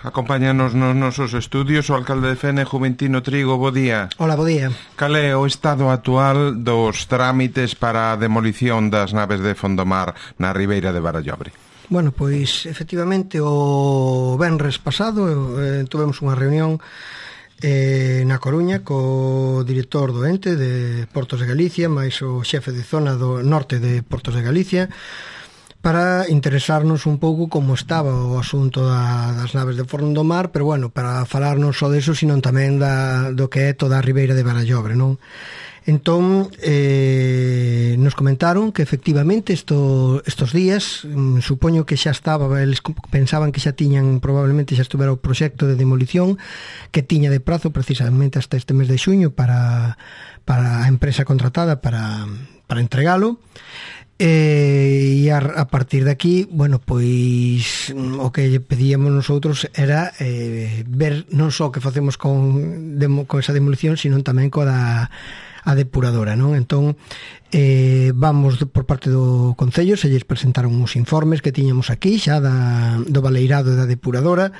Acompáñanos nos nosos estudios o alcalde de Fene, Juventino Trigo. Bo día. Hola, bo día. Cal é o estado actual dos trámites para a demolición das naves de Fondomar na Ribeira de Barallobre? Bueno, pois, efectivamente, o venres pasado tivemos unha reunión na Coruña co director do ente de Portos de Galicia, máis o xefe de zona do norte de Portos de Galicia, para interesarnos un pouco como estaba o asunto das naves de Fondomar, pero bueno, para falar non só deso, sino tamén do que é toda a Ribeira de Barallobre, non? Entón, nos comentaron que efectivamente estos días, supoño que xa estaba, eles pensaban que xa tiñan, probablemente xa estuvera o proxecto de demolición que tiña de prazo precisamente hasta este mes de xuño para a empresa contratada para entregalo. E a partir de aquí, bueno, pois o que pedíamos nosotros era ver non só que facemos con esa demolición, sino tamén coa a depuradora, non? Entón, vamos por parte do Concello, se lles presentaron uns informes que tiñamos aquí xa do baleirado da depuradora,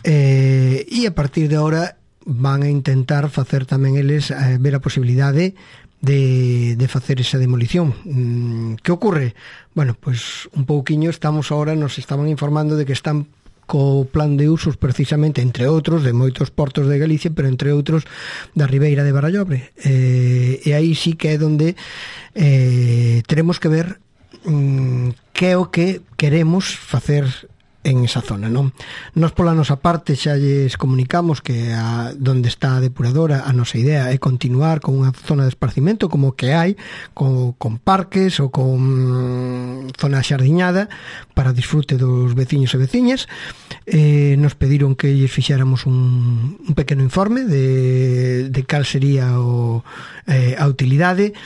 e a partir de ahora van a intentar facer tamén eles ver a posibilidade de facer esa demolición. Que ocorre? Bueno, pois un pouquiño nos estaban informando de que están co plan de usos precisamente, entre outros, de moitos portos de Galicia, pero entre outros da Ribeira de Barallobre. E aí sí que é onde teremos que ver que é o que queremos facer en esa zona, non? Nos pola nosa parte xa lles comunicamos que donde está a depuradora, a nosa idea é continuar con unha zona de esparcimento como que hai, con parques ou con zona xardiñada para disfrute dos veciños e veciñas. Nos pediron que lles fixéramos un pequeno informe de cal sería a utilidade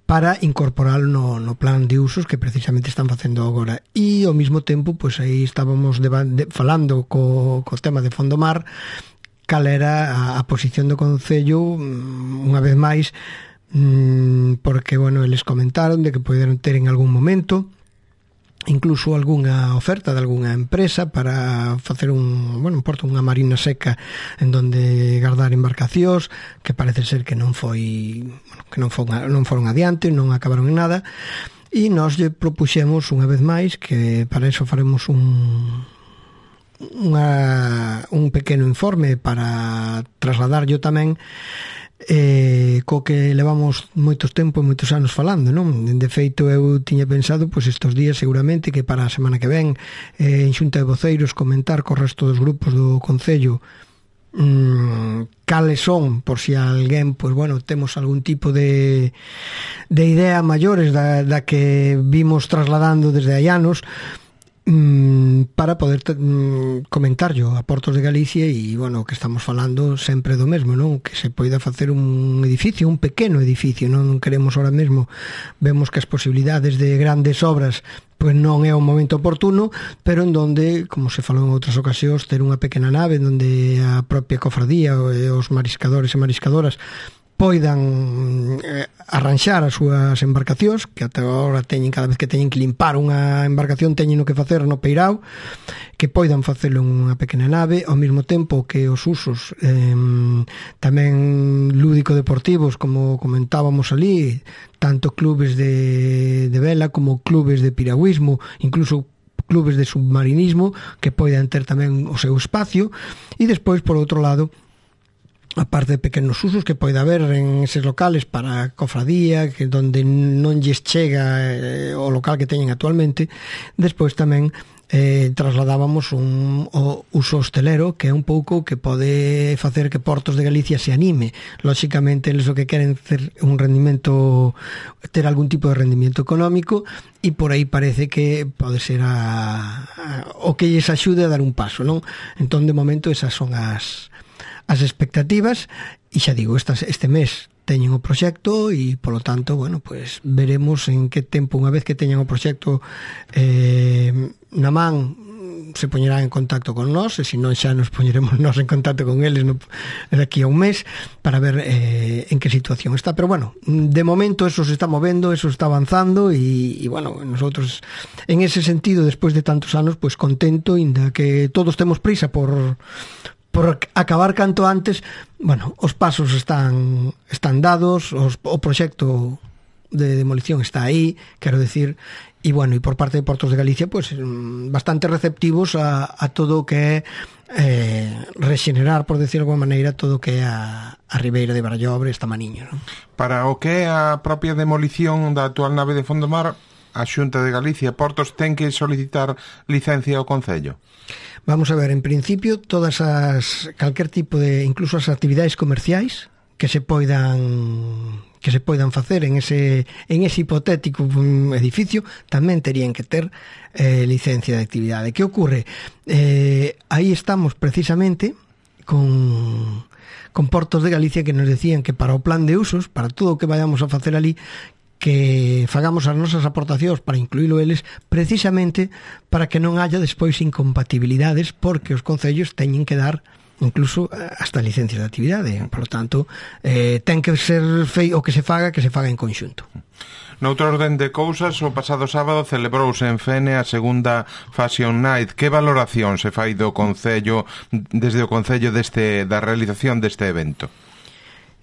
para incorporalo no plan de usos que precisamente están facendo agora. E ao mesmo tempo, pois aí estábamos falando co tema de Fondomar, cal era a posición do Concello, unha vez máis, porque, bueno, eles comentaron de que poderon ter en algún momento incluso algunha oferta de algunha empresa para facer unha marina seca en donde guardar embarcacións, que parece ser que non foron adiante, non acabaron en nada, e nós lle propuxemos unha vez máis que para eso faremos un pequeno informe para trasladarlo tamén, co que levamos moitos anos falando, non? De feito, eu tiña pensado pois estes días seguramente que para a semana que ven en xunta de voceiros comentar co resto dos grupos do Concello cales son, por si alguén, pois bueno, temos algún tipo de idea maiores da que vimos trasladando desde hai anos, para poder comentarlo a Portos de Galicia. E, bueno, que estamos falando sempre do mesmo, non? Que se poida facer un edificio, un pequeno edificio, non queremos ahora mesmo, vemos que as posibilidades de grandes obras pois non é o momento oportuno, pero en donde, como se falou en outras ocasións, ter unha pequena nave en donde a propia cofradía e os mariscadores e mariscadoras poidan arranxar as súas embarcacións, que ata agora cada vez que teñen que limpar unha embarcación teñen que facer no peirao, que poidan facelo en unha pequena nave, ao mesmo tempo que os usos tamén lúdico-deportivos, como comentábamos ali, tanto clubes de vela como clubes de piragüismo, incluso clubes de submarinismo, que poidan ter tamén o seu espacio. E despois, por outro lado, a parte de pequenos usos que pode haber en eses locales para a cofradía, que donde non lles chega o local que teñen actualmente. Despois tamén trasladábamos o uso hostelero, que é un pouco que pode facer que Portos de Galicia se anime. Lóxicamente, eles o que queren ter un rendimento, ter algún tipo de rendimento económico, e por aí parece que pode ser o que lles axude a dar un paso, non? Entón, de momento, esas son as expectativas, e xa digo, este mes teñen o proxecto e, polo tanto, bueno, pues veremos en que tempo, unha vez que teñan o proxecto na man, se poñerán en contacto con nós, e se non xa nos poñeremos nós en contacto con eles daqui a un mes para ver en que situación está. Pero bueno, de momento eso se está movendo, eso está avanzando, e bueno, nosotros en ese sentido, despois de tantos anos, pues contento, inda que todos temos prisa por acabar canto antes. Bueno, os pasos están dados, o proxecto de demolición está aí, quero decir, e bueno, e por parte de Portos de Galicia, pues bastante receptivos a todo o que é rexenerar, por decir de alguma maneira, todo o que é a Ribeira de Barallobre, esta Maniño, non? Para o que é a propia demolición da actual nave de Fondomar, a Xunta de Galicia, Portos, ten que solicitar licencia ao Concello? Vamos a ver, en principio, calquer tipo de, incluso as actividades comerciais que se poidan facer en ese hipotético edificio tamén terían que ter licencia de actividade. Que ocorre? Aí estamos precisamente con Portos de Galicia, que nos decían que para o plan de usos, para todo o que vayamos a facer ali, que fagamos as nosas aportacións para incluílo eles, precisamente para que non haya despois incompatibilidades, porque os concellos teñen que dar incluso hasta licencias de actividade. Por lo tanto, ten que ser o que se faga en conxunto. Noutro orden de cousas, o pasado sábado celebrouse en Fene a segunda Fashion Night. Que valoración se fai do Concello, desde o Concello da realización deste evento?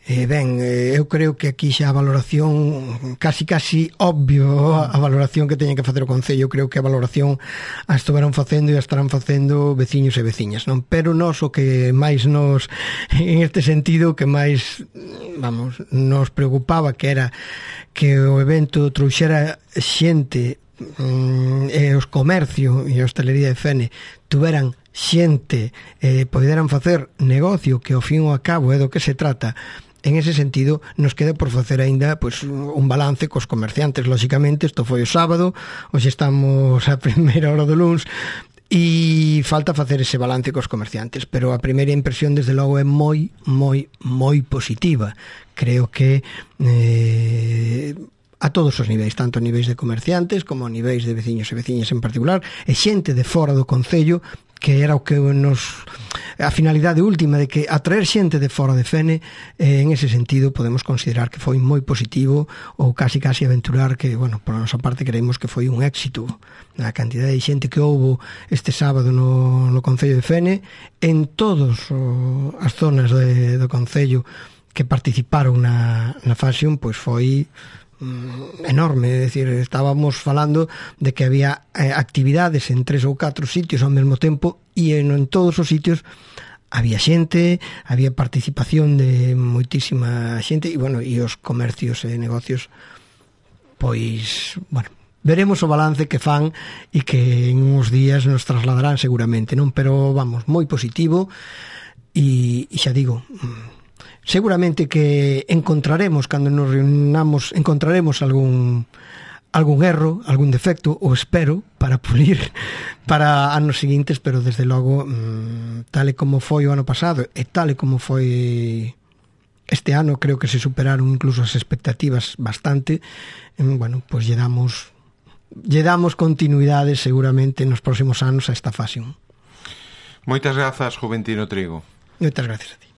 Eu creo que aquí xa a valoración casi obvio, a valoración que teñen que facer o Concello. Creo que a valoración a estuveron facendo e a estarán facendo veciños e veciñas, non? Pero nós o que máis nos, en este sentido, que máis nos preocupaba, que era que o evento trouxera xente, e os comercio e a hostelería de Fene tuveran xente, poderan facer negocio, que ao fin e ao cabo é do que se trata. En ese sentido, nos queda por facer aínda un balance cos comerciantes. Lóxicamente, isto foi o sábado, hoxe estamos a primeira hora do luns, e falta facer ese balance cos comerciantes, pero a primeira impresión, desde logo, é moi positiva. Creo que a todos os niveis, tanto a niveis de comerciantes como a niveis de veciños e veciñas en particular, e xente de fora do Concello, que era o que a finalidade última de que atraer xente de fora de Fene. En ese sentido podemos considerar que foi moi positivo, ou casi aventurar que, bueno, por a nosa parte creemos que foi un éxito a cantidade de xente que houbo este sábado no Concello de Fene, en todas as zonas do Concello que participaron na Fashion, pois foi enorme. É dicir, estábamos falando de que había actividades en 3 ou 4 sitios ao mesmo tempo, e en todos os sitios había xente, había participación de moitísima xente, e bueno, e os comercios e negocios, pois, bueno, veremos o balance que fan e que en uns días nos trasladarán seguramente, non? Pero vamos, moi positivo, e xa digo, seguramente que encontraremos, cando nos reunamos, encontraremos algún erro, algún defecto, o espero, para pulir para anos seguintes, pero desde logo, tal e como foi o ano pasado e tal e como foi este ano, creo que se superaron incluso as expectativas bastante. Bueno, pois lle damos continuidade seguramente nos próximos anos a esta Fashion. Moitas grazas, Juventino Trigo. Moitas gracias a ti.